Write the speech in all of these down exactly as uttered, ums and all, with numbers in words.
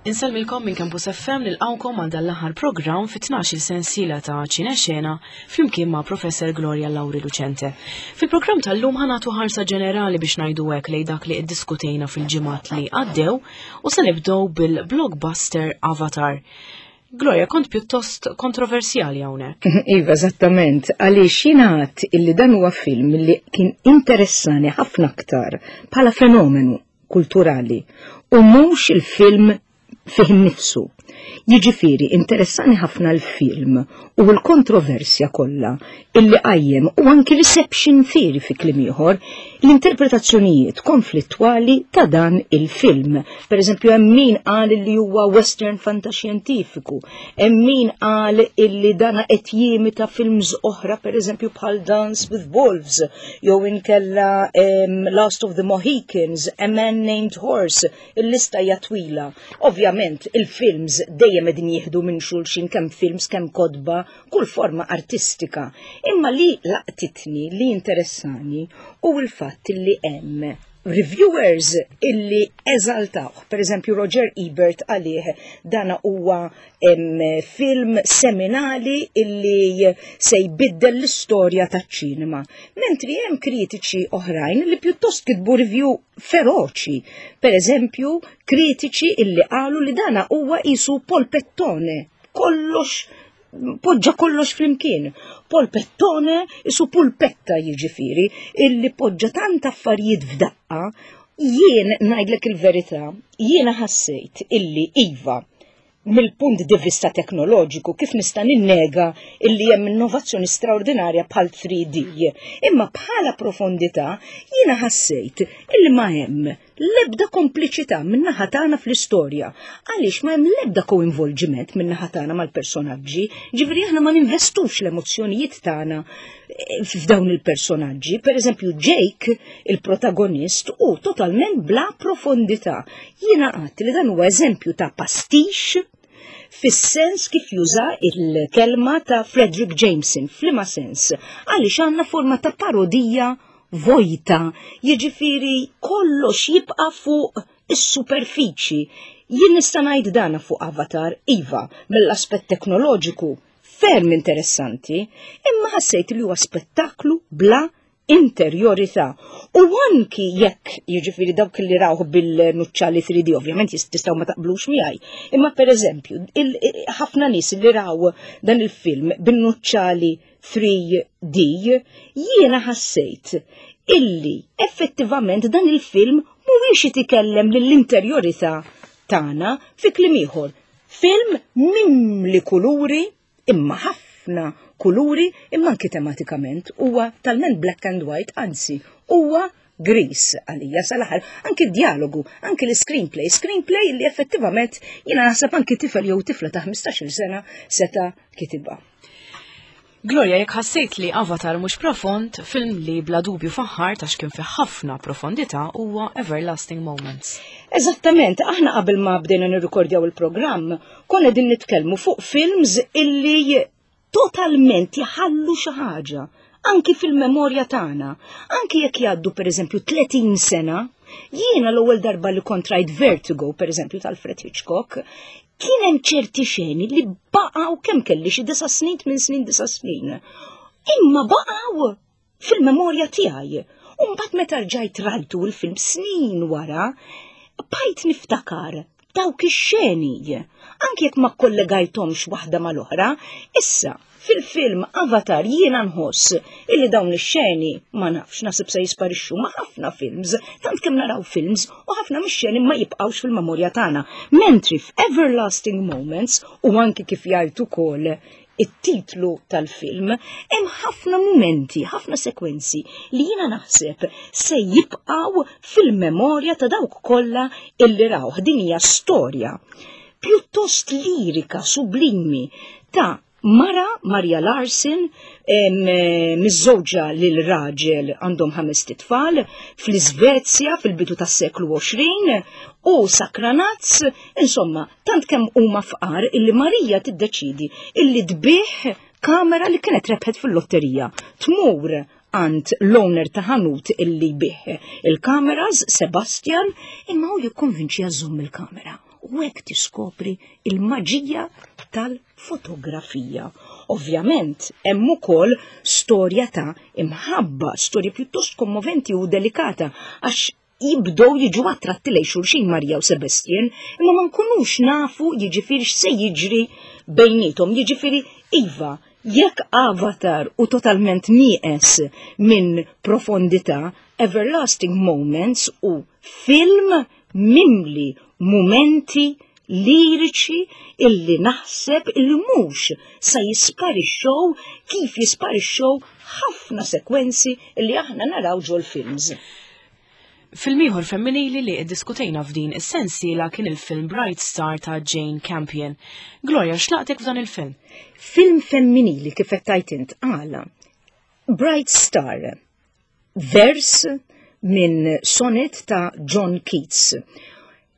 Insellmilkom minn Campus F M, nilqgħukom għal dan l-aħħar programm fi tnax-il sensiela ta' Ċinexena flimkien ma' Professor Gloria Lauri Lucente. Fil-programm tal-lum ħa nagħtu ħarsa ġenerali, biex ngħidu hekk, lejn dak li iddiskutejna fil-ġimgħat li għaddew u se nibdew bil-blockbuster Avatar. Gloria, kont pjuttost kontroversjali hawnhekk. Iva, eżattament, għaliex jingħad illi dan huwa film li kien interessani ħafna aktar bħala fenomenu kulturali u mhux il-film fih nifsu. Jiġifieri interessani ħafna l-film u l-kontroversja kollha illi qajjem u anki reception theory, fi kliem ieħor, l-interpretazzjonijiet konflittwali ta' dan il-film. Per eżempju, hemm min qal li huwa western fantaxjentifiku, hemm min qal illi dana qed jimita films oħra, per eżempju bħal Dance with Wolves, jew inkella um, Last of the Mohicans, A Man Named Horse, il-lista hija twila. Ovvjament, il-films dejjem qegħdin jieħdu minn xulxin, kemm films, kemm kotba, kull forma artistika. Imma li laqtitni, li interessani, hu l-fatt li hemm reviewers illi eżaltawh. Per eżempju, Roger Ebert għalih dana huwa film seminali illi se jbiddel l-istorja taċ-ċinema. Mentri hemm kritiċi oħrajn li pjuttost kitbu review feroċi. Per eżempju, kritiċi illi qalu li dana huwa qisu polpettone. Kollox poġġa kollox flimkien. Polpettone qisu pulpetta, jiġifieri, illi poġġa tant affarijiet f'daqqa. Jien ngħidlek il-verità, jiena ħassejt illi iva, mill-punt di vista teknoloġiku, kif nista' ninnega illi hemm innovazzjoni straordinarja bħal three D. Imma bħala profondità jiena ħassejt illi ma hemm l-ebda kompliċità min-naħa tagħna fl-istorja. Għaliex ma hemm l-ebda coinvolgiment min-naħa tagħna mal-personaġġi, ġifieri aħna ma ninvestux l-emozzjonijiet tagħna eh, f'dawn il-personaġġi. Per eżempju, Jake, il-protagonist, hu totalment bla profondità. Jiena għedt li dan huwa eżempju ta' pastiche fis-sens kif juża il-kelma ta' Fredric Jameson, f'liema sens, għaliex għandna forma ta' parodija vojta, jiġifieri kollox jibqa' fuq is-superfiċi. Jien nista' ngħid dana fuq Avatar, iva, mill-aspett teknoloġiku ferm interessanti, imma ħassejt li huwa spettaklu bla interjorità. U anki jekk, jiġifieri dawk li rawh bil-nuċċali three D, ovvjament tistgħu ma taqblux miegħi. Imma per eżempju, ħafna nies li raw dan il-film bil-nuċċali three D, jiena ħassejt illi effettivament dan il-film mhuwiex jitkellem lill-interjorità tagħna. Fi kliem ieħor, film mimli kuluri, imma ħafna kuluri, imma anki tematikament huwa talment black and white, anzi huwa gris għalija sal-aħħar, anki dialogu, anki l-screenplay, screenplay li effettivament jiena naħseb anki tifel jew tifla ta' ħmistax-il sena seta' kitibha. Gloria, jekk ħassejt li Avatar mhux profond, film li bla dubju faħħar ta' kien fi ħafna profondità huwa Everlasting Moments. Eżattament, aħna qabel ma bdejna nirrikordjaw il-programm, konna din nitkellmu fuq films illi totalment jħallu xi ħaġa anki fil-memorja tagħna, anki jekk jgħaddu, pereżempju, tletin sena. Jiena l-ewwel darba li kont rajt Vertigo, pereżempju, tal-Alfred Hitchcock, kien hemm ċerti xeni li baqgħu, kemm kelli xi disa' snin, minn snin, disa' snin. Imma baqgħu fil-memorja tiegħi. U mbagħad meta rġajt rajtu l-film snin wara, bqajt niftakar dawk ix-xeni. Anki jekk ma kollegajthomx waħda mal-oħra, issa fil-film Avatar jiena nħoss illi dawn ix-xeni, ma nafx, naħseb se jisparixxu ma' ħafna films, tant kemm naraw films u ħafna mix-xeni ma jibqgħux fil-memorja tagħna. Mentri f'Everlasting Moments, u anki kif jgħid ukoll it-titlu tal-film, hemm ħafna momenti, ħafna sekwenzi li jiena naħseb se jibqgħu fil-memorja ta' dawk kollha illi rawh. Din hija storja pjuttost lirika sublimi ta' mara, Maria Larsen, miżżewġa lil raġel, għandhom ħames tfal, fl-Iżvezja fil-bidu tas-seklu għoxrin u sakranazz, insomma, tant kemm huma fqar illi Marija tiddeċidi illi tbigħ kamera li kienet rebħet fil-lotterija. Tmur għand l-owner ta' ħanut illi jbigħ il-kameras, Sebastian, imma hu jikkonvinċiha żżomm il-kamera. U hekk tiskopri il-maġija tal-fotografija. Ovvjament, hemm ukoll storja ta' imħabba, storja pjuttost kommoventi u delikata, għax jibdow jiġu attratti lejn xulxin Marja u Sebastian, imma ma nkunux nafu jiġifieri x'se jiġri bejnietom, jiġifieri iva, jekk Avatar hu totalment nieqes minn profondità, Everlasting Moments hu film mimli momenti liriċi illi naħseb illi mhux sa jisparixxow kif jisparixxow ħafna sekwenzi illi aħna naraw ġol films. Film ieħor femminili li iddiskutejna f'din is-sensiela kien il-film Bright Star ta' Jane Campion. Gloria, x'laqtek f'dan il-film? Film femminili kif qed tgħid int għala. Bright Star, vers minn sonnet ta' John Keats.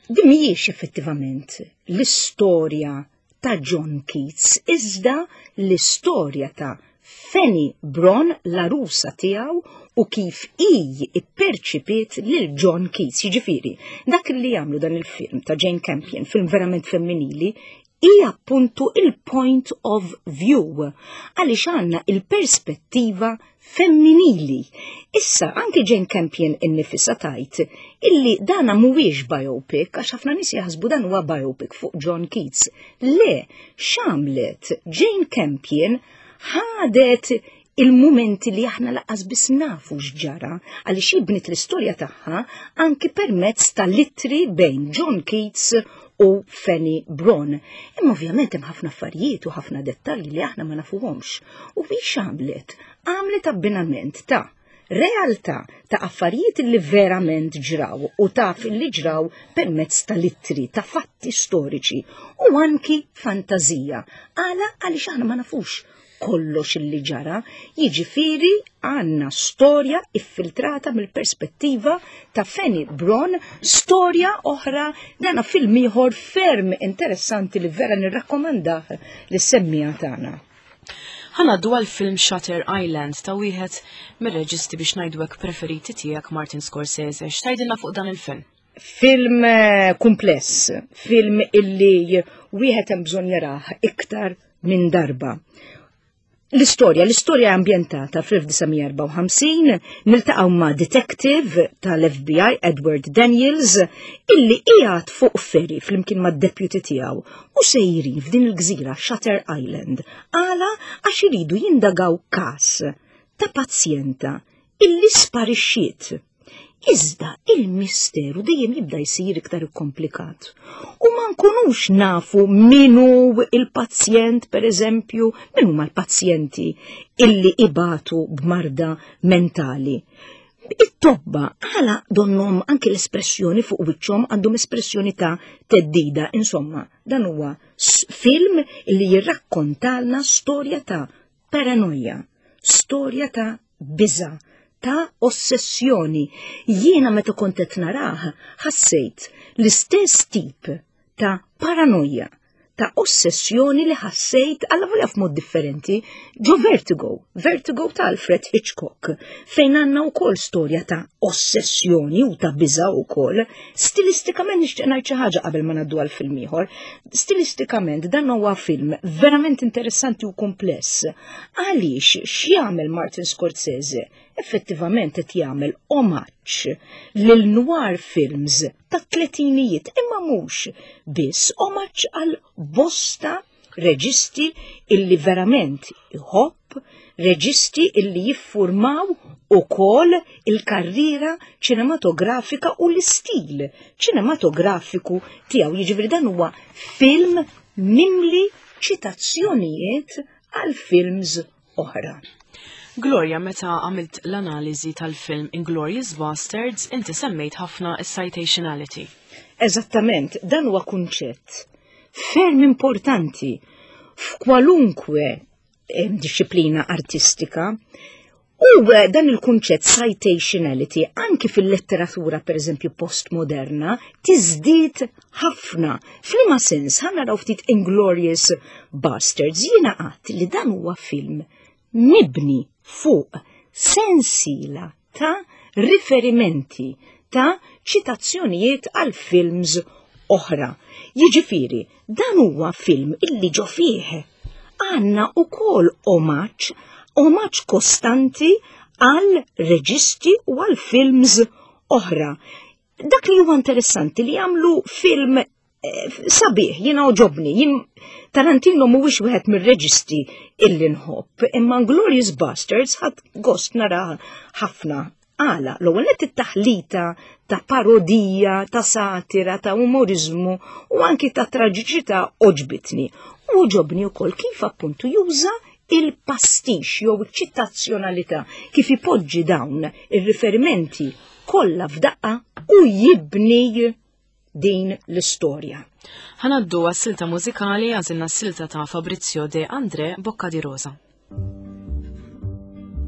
Din mhijiex effettivament l-istorja ta' John Keats, iżda l-istorja ta' Fanny Brawne, l-għarusa tiegħu, u kif hi ipperċipiet lil John Keats. Jiġifieri, dak li jagħmlu dan il-film ta' Jane Campion, film verament femminili, hija appuntu il-point of view, għaliex għandna il-perspettiva femminili. Issa, anke Jane Campion innifisha tgħid illi dana mhuwiex biopic, għax ħafna nies jaħsbu dan huwa biopic fuq John Keats. Le, x'għamlet Jane Campion? Ħadet il-momenti li aħna lanqas biss nafu x'ġara, għaliex bniet l-istorja tagħha anki permezz tal-ittri bejn John Keats u Fanny Brawne. Imma ovvjament hemm ħafna affarijiet u ħafna dettalji li aħna ma nafuhomx. U biex għamlet? Għamlet abbinament ta' realtà ta' affarijiet li verament ġraw u taf li ġraw permezz tal-ittri, ta' fatti storiċi u anki fantazija. Għala? Għaliex aħna ma nafux kollox illi ġara, jiġifieri għandna storja iffiltrata mill-perspettiva ta' Fanny Brawne, storja oħra, dana film ieħor ferm interessanti li vera nirrakkomandah lis-semmiegħa tagħna. Ħa ngħaddu għal film Shutter Island ta' wieħed mir-reġisti biex ngħidu hekk preferiti tiegħek, Martin Scorsese. X'tgħidilna fuq dan il-film? Film eh, kumpless, film illi wieħed hemm bżonn jarah iktar minn darba. L-istorja, l-istorja ambientata fl-elf disa' mija erbgħa u ħamsin, niltaqgħu ma' detective tal-F B I Edward Daniels illi qiegħed fuq ferry flimkien ma' deputy tiegħu u sejrin f'din il-gżira Shutter Island. Għala? Għax iridu jindagaw kas ta' pazjenta illi sparixxiet. Iżda il-misteru dejjem jibda jsir iktar komplikat. U ma nkunux nafu minu il-pazjent, per eżempju, min huma l-pazjenti illi ibatu b'marda mentali. It-tobba għala donnom anke l-espressjoni fuq wiċċhom għandhom espressjoni ta' theddida. Insomma, dan huwa film illi jirrakkontalna storja ta' paranoia, storja ta' biża', ta' ossessjoni. Jiena meta kont qed narah ħassejt l-istess tip ta' paranoia, ta' ossessjoni li ħassejt għalla volja f'mod differenti ġo Vertigo, Vertigo ta' Alfred Hitchcock, fejn għandna wkoll storja ta' ossessjoni u ta' biża wkoll. Stilistikament nixtieq ngħid xi ħaġa qabel ma ngħaddu għal film ieħor. Stilistikament dan huwa film verament interessanti u kumpless. Għaliex x'jagħmel Martin Scorsese? Effettivament qed jagħmel omaġġ lil noir films ta' tletinijiet, imma mhux biss, omaġġ għal bosta reġisti illi verament iħobb, reġisti illi jiffurmaw ukoll il-karriera ċinematografika u l-istil ċinematografiku tiegħu. Jiġifieri dan huwa film mimli ċitazzjonijiet għal films oħra. Gloria, meta għamilt l-analiżi tal-film Inglorious Bastards, inti semmejt ħafna citationality. Eżattament, dan huwa kunċett ferm importanti f'kwalunkwe eh, disciplina artistika. U eh, dan il-kunċett citationality anki fil-letteratura, per eżempju, postmoderna, tiżdied ħafna. F'liema sens? Ħa naraw ftit Inglorious Bastards. Jiena għedt li dan huwa film mibni fuq sensiela ta' riferimenti, ta' ċitazzjonijiet għal films oħra. Jiġifieri, dan huwa film illi ġo fih għandna ukoll omaġġ, omaġġ kostanti għal reġisti u għal films oħra. Dak li huwa interessanti li jagħmlu film eh, sabiħ, jiena għoġobni, jien Tarantino mhuwiex wieħed mir-reġisti illi nħobb, imma Glorious Bastards ħadt gost nara ħafna. Għala, l-ewwel nett it-taħlita ta' parodija, ta' satira, ta' umorizmu u anki ta' traġiċità għoġbitni. U għoġobni wkoll kif appuntu juża il-pastix jew iċ-ċitazzjonalità, kif ipoġġi dawn ir-riferimenti kollha f'daqqa u jibni din l-istorja. Ħa ngħaddu għas-silta mużikali, għażilna s-silta ta' Fabrizio De André, Bocca di Rosa.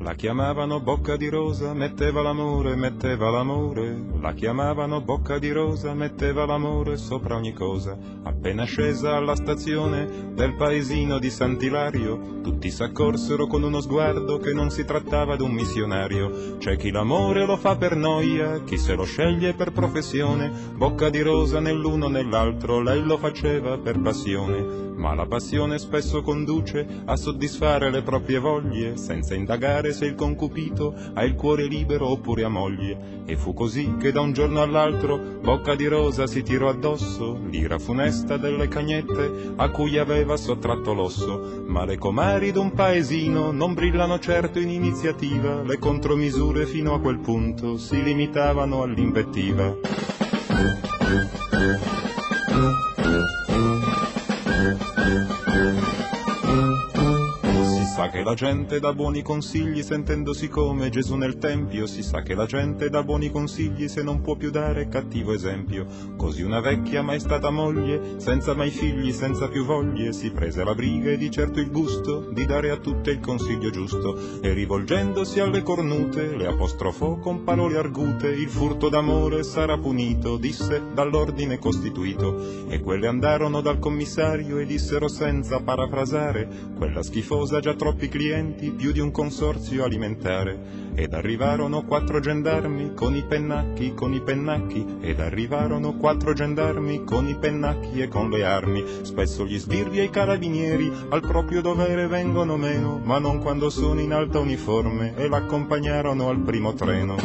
La chiamavano Bocca di Rosa, metteva l'amore, metteva l'amore. La chiamavano Bocca di Rosa, metteva l'amore sopra ogni cosa. Appena scesa alla stazione del paesino di Sant'Ilario, tutti s'accorsero con uno sguardo che non si trattava d'un missionario. C'è chi l'amore lo fa per noia, chi se lo sceglie per professione. Bocca di Rosa nell'uno nell'altro, lei lo faceva per passione. Ma la passione spesso conduce a soddisfare le proprie voglie, senza indagare se il concupito ha il cuore libero oppure ha moglie. E fu così che da un giorno all'altro Bocca di Rosa si tirò addosso l'ira funesta delle cagnette a cui aveva sottratto l'osso. Ma le comari d'un paesino non brillano certo in iniziativa, le contromisure fino a quel punto si limitavano all'invettiva. Si sa che la gente dà buoni consigli sentendosi come Gesù nel tempio, si sa che la gente dà buoni consigli se non può più dare cattivo esempio. Così una vecchia mai stata moglie, senza mai figli, senza più voglie, si prese la briga e di certo il gusto di dare a tutte il consiglio giusto, e rivolgendosi alle cornute le apostrofò con parole argute: il furto d'amore sarà punito, disse, dall'ordine costituito. E quelle andarono dal commissario e dissero senza parafrasare: quella schifosa già troppi clienti, più di un consorzio alimentare. Ed arrivarono quattro gendarmi con i pennacchi, con i pennacchi, ed arrivarono quattro gendarmi con i pennacchi e con le armi. Spesso gli sbirri e i carabinieri al proprio dovere vengono meno, ma non quando sono in alta uniforme, e l'accompagnarono al primo treno.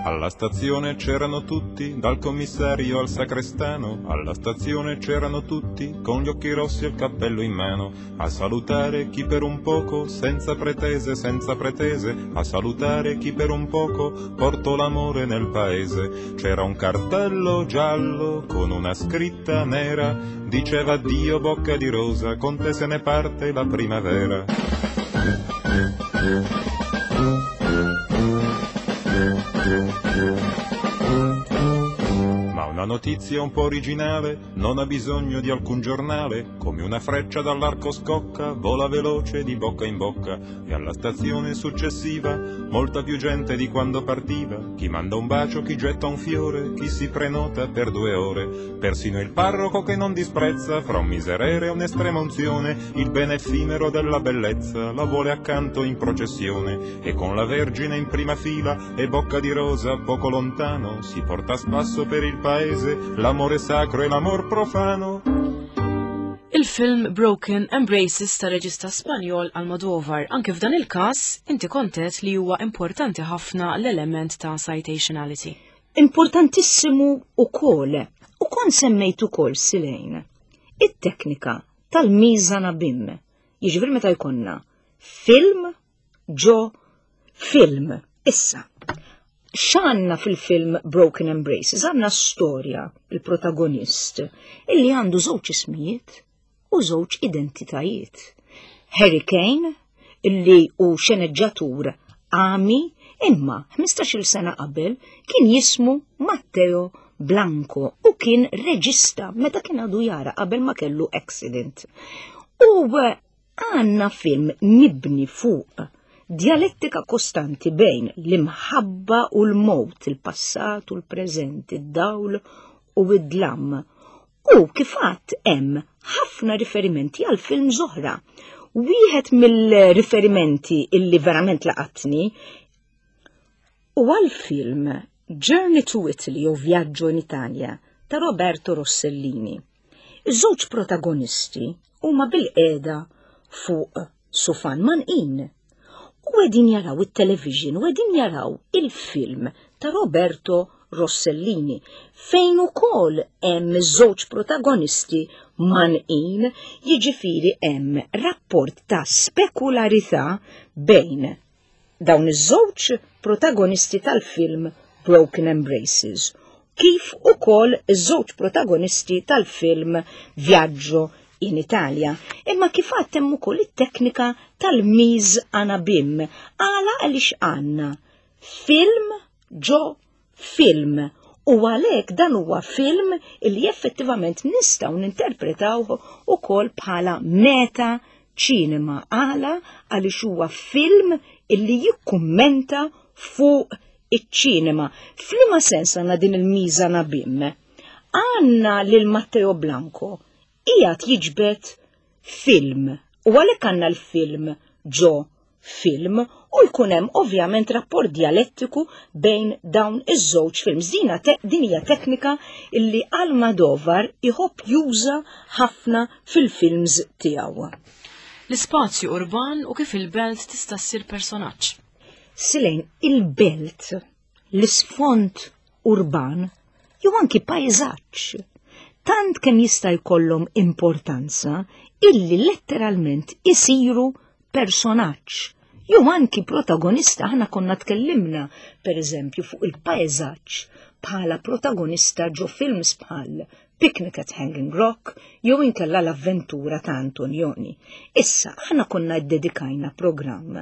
Alla stazione c'erano tutti, dal commissario al sacrestano, alla stazione c'erano tutti, con gli occhi rossi e il cappello in mano, a salutare chi per un poco, senza pretese, senza pretese, a salutare chi per un poco portò l'amore nel paese. C'era un cartello giallo con una scritta nera, diceva: addio Bocca di Rosa, con te se ne parte la primavera. Ma una notizia un po' originale non ha bisogno di alcun giornale, come una freccia dall'arco scocca, vola veloce di bocca in bocca, e alla stazione successiva molta più gente di quando partiva, chi manda un bacio, chi getta un fiore, chi si prenota per due ore, persino il parroco che non disprezza, fra un miserere e un'estrema unzione, il bene effimero della bellezza la vuole accanto in processione, e con la Vergine in prima fila e Bocca di Rosa poco lontano, si porta a spasso per il paese l'amore sacro e l'amor profano. Il-film Broken Embraces ta' reġista Spanjol Almodovar. Anke f'dan il-każ inti kontet li huwa importanti ħafna l-element ta' citationality. Importantissimu ukoll, u kon semmejt ukoll Silejn, it-teknika tal-mise en abîme. Jiġifieri meta jkollna film ġo film. Issa, x'għandna fil-film Broken Embraces? Għandna storja, il-protagonist, illi għandu żewġ ismijiet u żewġ identitajiet. Harry Kane, illi hu xeneġġatur għami, imma ħmistax-il sena qabel kien jismu Matteo Blanco u kien reġista meta kien għadu jara qabel ma kellu accident. U għandna film mibni fuq dialettika kostanti bejn l-imħabba u l-mowt, il-passat u l-preżent, id-dawl u id-dlam. U kif għadt hemm ħafna riferimenti għal film oħra. Wieħed mill-riferimenti illi verament laqatni huwa l-film Journey to Italy jew Viaggio in Italia ta' Roberto Rossellini. Iż-żewġ protagonisti huma bilqiegħda fuq sufan mgħannqin u qegħdin jaraw it-television u qegħdin jaraw il-film ta' Roberto Rossellini fejn ukoll hemm iż-żewġ protagonisti mgħannqin, jiġifieri hemm rapport ta' spekularità bejn dawn iż-żewġ protagonisti tal-film Broken Embraces kif ukoll iż-żewġ protagonisti tal-film Viaggio in Italia. Imma kif għedt hemm ukoll it-teknika tal-mise en abyme. Għala għaliex għandna film ġo film u għalhekk dan huwa film illi effettivament nistgħu ninterpretawh ukoll bħala meta ċinema għala għaliex huwa film illi jikkummenta fuq iċ-ċinema. F'liema sens għandna din il-mise en abyme? Għandna lil Matteo Blanco qiegħed jiġbed film u għalhekk għandna l-film ġo film u jkun hemm ovvjament rapport dialettiku bejn dawn iż-żewġ films. Dina te, din hija teknika illi Almodovar iħobb juża ħafna fil-films tiegħu. L-ispazju urban u kif il-belt tista' ssir personaġġ. Silejn il-belt, l-isfond urban, jew anki pajzaġġ, tant kemm jista' jkollhom importanza illi letteralment isiru personaġġ. Jew anki protagonista, aħna konna tkellimna per eżempju fuq il-pajzaġġ bħala protagonista ġo films bħal Picnic at Hanging Rock jew inkella l-avventura ta' Antonioni. Issa aħna konna ddedikajna programm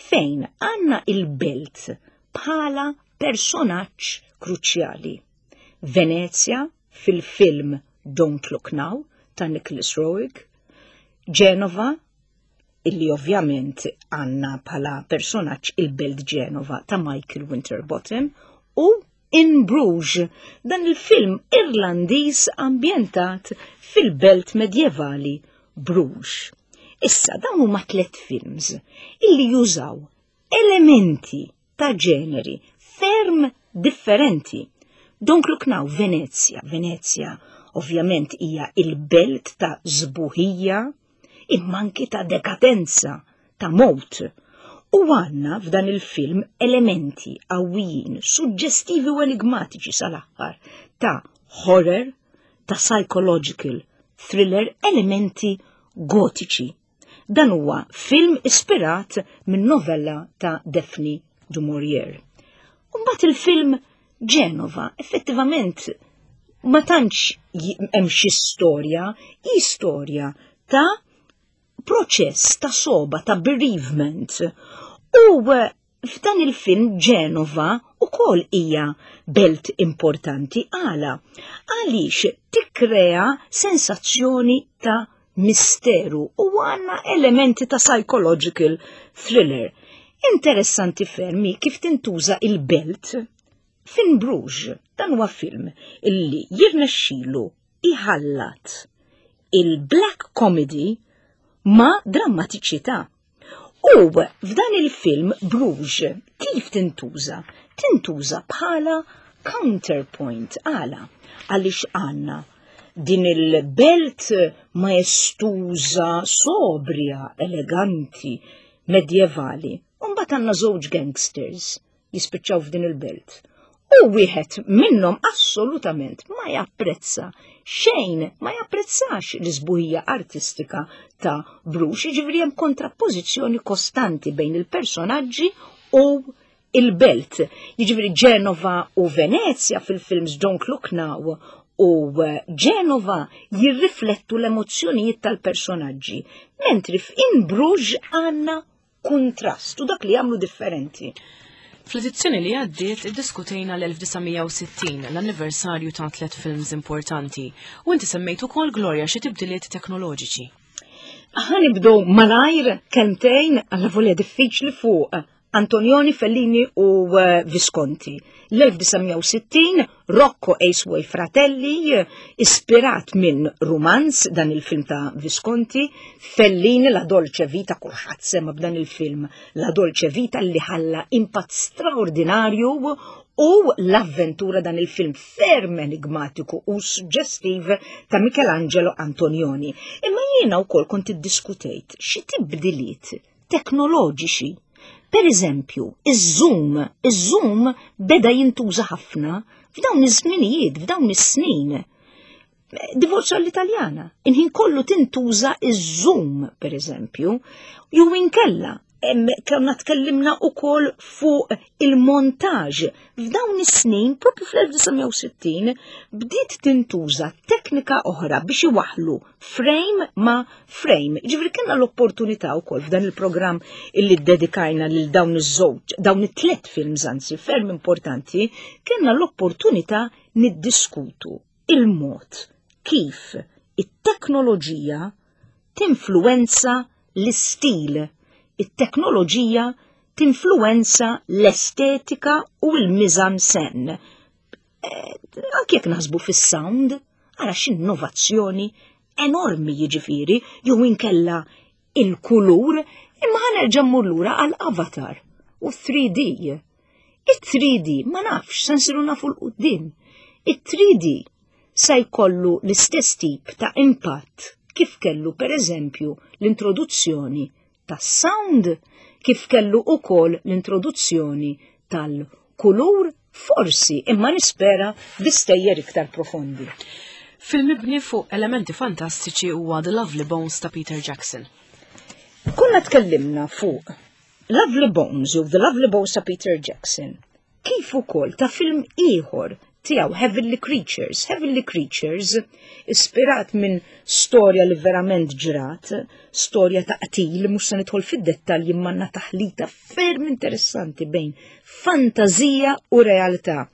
fejn għandna il-belt bħala personaġġ kruċjali. Venezia fil-film Don't Look Now ta' Nicholas Roeg, Genova illi ovvjament għandna bħala personaġġ il-belt Genova ta' Michael Winterbottom u In Bruges, dan il-film Irlandiż ambjentat fil-belt medjevali Bruges. Issa dawn huma tliet films illi jużaw elementi ta' ġeneri ferm differenti. Don't Look Now, Venezia. Venezia ovvjament hija il-belt ta' sbuħija, imma anki ta' dekadenza, ta' mowt. U għandna f'dan il-film elementi qawwijin, suġġestivi u enigmatiċi sal-aħħar ta' horror, ta' psychological thriller, elementi gotiċi. Dan huwa film ispirat minn novella ta' Daphne du Maurier. Mbagħad il-film Genova, effettivament ma tantx hemm xi storja, hi storja ta' proċess ta' soba, ta' bereavement. U eh, f'dan il-film Genova ukoll hija belt importanti għala. Għaliex tikkrea sensazzjoni ta' misteru u għandna elementi ta' psychological thriller. Interessanti ferm kif tintuża il-belt f'In Bruges. Dan huwa film illi jirnexxilu iħallat il-black comedy ma' drammatiċità. U f'dan il-film Bruges kif tintuża? Tintuża bħala counterpoint għala għaliex għandna din il-belt maestuża, sobria, eleganti, medjevali. Mbagħad għandna żewġ gangsters jispiċċaw f'din il-belt. U wieħed minnhom assolutament ma japprezza xejn, ma japprezzax l-isbuħija artistika ta' Bruges, jiġifieri hemm kontrappożizzjoni kostanti bejn il-personaġġi u il-belt. Jiġifieri Genova u Venezia fil-films Don't Look Now u Genova jirriflettu l-emozzjonijiet tal-personaġġi, mentri f'In Bruges għandna kontrast u dak li jagħmlu differenti. Fl-edizzjoni li għaddiet iddiskutejna l-elf disa' mija u sittin, l-anniversarju ta' tliet films importanti, u inti semmejt ukoll, Gloria, xi tibdiliet teknoloġiċi. Ħa nibdew malajr kelmtejn għalla volja diffiċli fuq Antonioni, Fellini u eh, Visconti. L-elf disa' mija u sittin, Rocco e i suoi fratelli, ispirat minn romanz, dan il-film ta' Visconti. Fellini, La Dolce Vita, kulħadd sema b'dan il-film, La Dolce Vita, li ħalla impatt straordinarju, u l-avventura, dan il-film ferm enigmatiku u suggestiv ta' Michelangelo Antonioni. Imma jiena wkoll kont iddiskutejt xi tibdiliet teknoloġiċi. Per eżempju, iż-zoom, iż-zoom beda jintuża ħafna f'dawn iż-żminijiet, f'dawn is-snin. Divorzio all'Italiana, il-ħin kollu tintuża iż-zoom, per eżempju, jew inkella konna tkellimna ukoll fuq il-montaġ. F'dawn is-snin, propju fl-elf disa' mija u sittin, bdiet tintuża teknika oħra biex iwaħlu frame ma' frame. Ġifieri kellna l-opportunità wkoll f'dan il-programm illi dedikajna lil dawn iż-żewġ, dawn it-tlet films anzi ferm importanti, kellna l-opportunità niddiskutu il-mod kif it-teknoloġija tinfluwenza l-istil, it-teknoloġija tinfluwenza l-estetika u l-mise-en-scène. Eh, anke jekk naħsbu fis-sound, ara x'innovazzjoni enormi jiġifieri, jew inkella il-kulur, imma ħa nerġa' mmur lura għal Avatar u three D. It-three D ma nafx, se nsiru nafu 'l quddiem. It-three D sa jkollu l-istess tip ta' impatt kif kellu, per eżempju, l-introduzzjoni tas-sound, kif kellu ukoll l-introduzzjoni tal-kulur, forsi, imma nispera bi stejjer iktar profondi. Film mibni fuq elementi fantastiċi huwa The Lovely Bones ta' Peter Jackson. Konna tkellimna fuq Lovely Bones jew The Lovely Bones ta' Peter Jackson, kif ukoll ta' film ieħor tiegħu, Heavenly Creatures. Heavenly Creatures, ispirat minn storja li verament ġrat, storja ta' qtil, mhux se nidħol fid-dettalji, imma taħlita ferm interessanti bejn fantazija u realtà.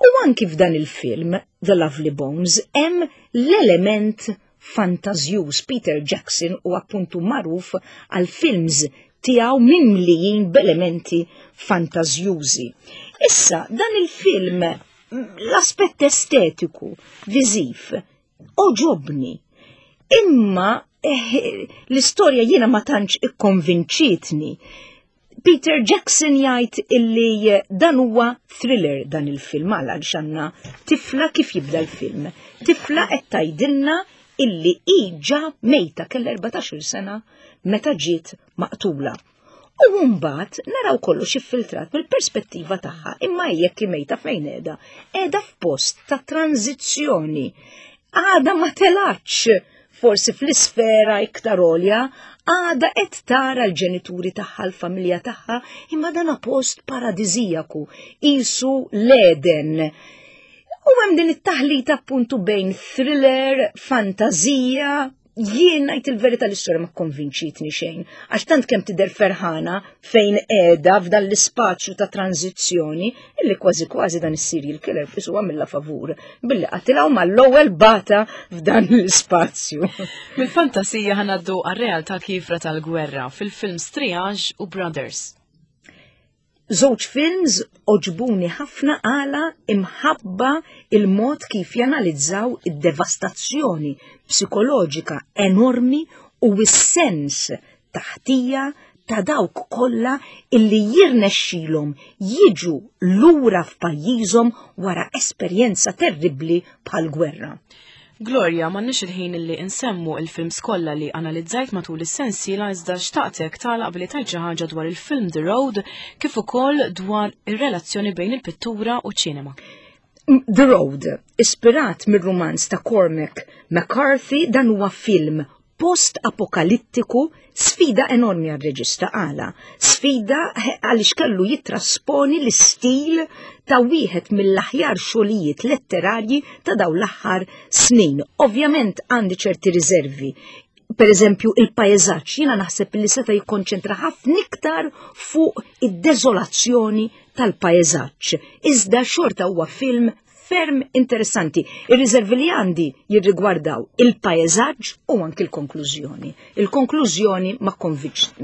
U anki f'dan il-film, The Lovely Bones, hemm l-element fantażjuż. Peter Jackson u appuntu magħruf għal films tiegħu mimlijin b'elementi fantażjużi. Issa, dan il-film, l-aspett estetiku, viżiv, għoġobni. Imma eh, l-istorja jiena ma tantx ikkonvinċitni. Peter Jackson jgħid illi dan huwa thriller, dan il-film, għal għandna tifla, kif jibda l-film. Tifla qed tgħidilna illi ġa mejta, kellha erbatax-il sena meta ġiet maqtula. U mbagħad naraw kollox iffiltrat mill-perspettiva tagħha, imma jekk mejta, fejn qiegħda? Qiegħda f'post ta' tranzizzjoni. Għada ma telgħetx forsi fl-isfera iktar għolja, għada qed tara l-ġenituri tagħha, l-familja tagħha, imma dan post paradiżijaku, qisu l-Eden. U hemm din it-taħlita appuntu bejn thriller, fantazija. Jien ngħid il-verità, l-istorja ma konvinċitni xejn, għax tant kemm tidher ferħana fejn qiegħda f'dan l-ispazju ta' tranzizzjoni illi kważi kważi dan is-serial killer qisu għamilha favur billi qatilha u mal-ewwel bagħatha f'dan l-ispazju. Mill-fantasija ħa ngħaddu għar-realtà kiefra tal-gwerra fil-films Triage u Brothers. Żewġ films għoġbuni ħafna għala imħabba il-mod kif janalizzaw id-devastazzjoni psikoloġika enormi u s-sens ta' ħtija ta' dawk kollha illi jirnexxilhom jiġu lura f'pajjiżhom wara esperjenza terribbli bħal gwerra. Gloria, m'għandniex il-ħin li nsemmu il-films kollha li analizzajt matul is-sensiela, iżda xtaqtek tagħlaq billi tgħid xi ħaġa dwar il-film The Road kif ukoll dwar ir-relazzjoni bejn il-pittura u ċinema. The Road, ispirat mir-romanz ta' Cormac McCarthy, dan huwa film post-apokalittiku, sfida enormi għal-reġista. Għala sfida? Għaliex kellu jitrasponi l-istil ta' wieħed mill-aħjar xogħlijiet letterarji ta' dawn l-aħħar snin. Ovvjament għandi ċerti riservi. Per eżempju, il-pajjeżaġġ, jiena naħseb li seta' jikkonċentra ħafna iktar fuq id-deżolazzjoni tal-pajjeżaġġ. Iżda xorta huwa film Ferm interessanti. Ir-riservi li għandi jirrigwardaw il-paesaġġ u anki l-konklużjoni. Il-konklużjoni ma,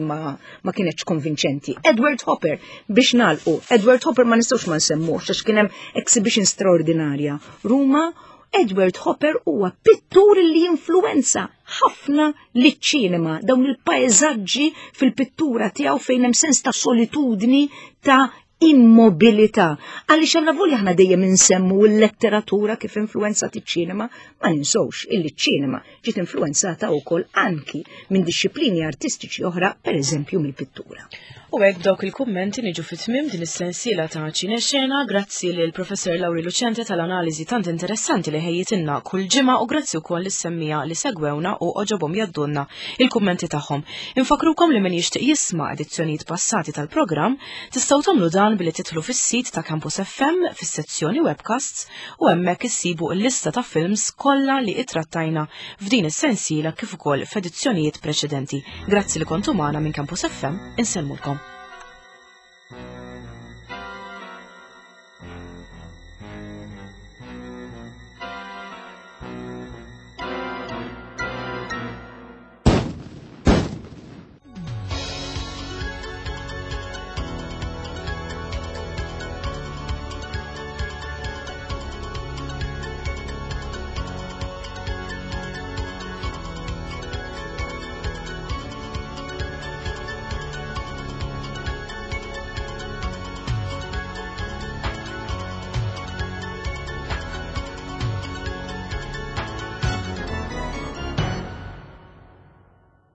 ma, ma kienetx konvinċenti. Edward Hopper, biex nagħlqu, Edward Hopper ma nistgħux ma nsemmux, għax kien hemm exhibition straordinarja. Ruma, Edward Hopper huwa pittur li influenza ħafna liċ-ċinema, dawn il-paesaġġi fil-pittura tiegħu fejn hemm sens ta' solitudni, ta' immobilità. Għaliex għalla volja aħna dejjem insemmu l-letteratura kif influenzat iċ-ċinema, ma ninsewx illi ċ-ċinema ġiet influenzata wkoll anki minn dixxiplini artistiċi oħra, per eżempju mill-pittura. U hekk dawk il-kummenti niġu fit-tmiem din is-sensiela ta' Ċinexena, grazzi lil Professor Lauri Lucente tal-analiżi tant interessanti li ħejjitilna kull ġimgħa u grazzi wkoll lis-semmiegħa li segwewna u għoġobhom jgħaddulna il-kummenti tagħhom. Infakrukom li min jixtieq jisma' edizzjonijiet passati tal-programm tistgħu tagħmlu dan billi tidħlu fis-sit ta' Campus F M fis-sezzjoni webcasts u hemmhekk issibu l-lista ta' films kollha li ittrattajna f'din is-sensiela kif ukoll f'edizzjonijiet preċedenti. Grazzi li kontu magħna minn Campus F M, insellmulkom.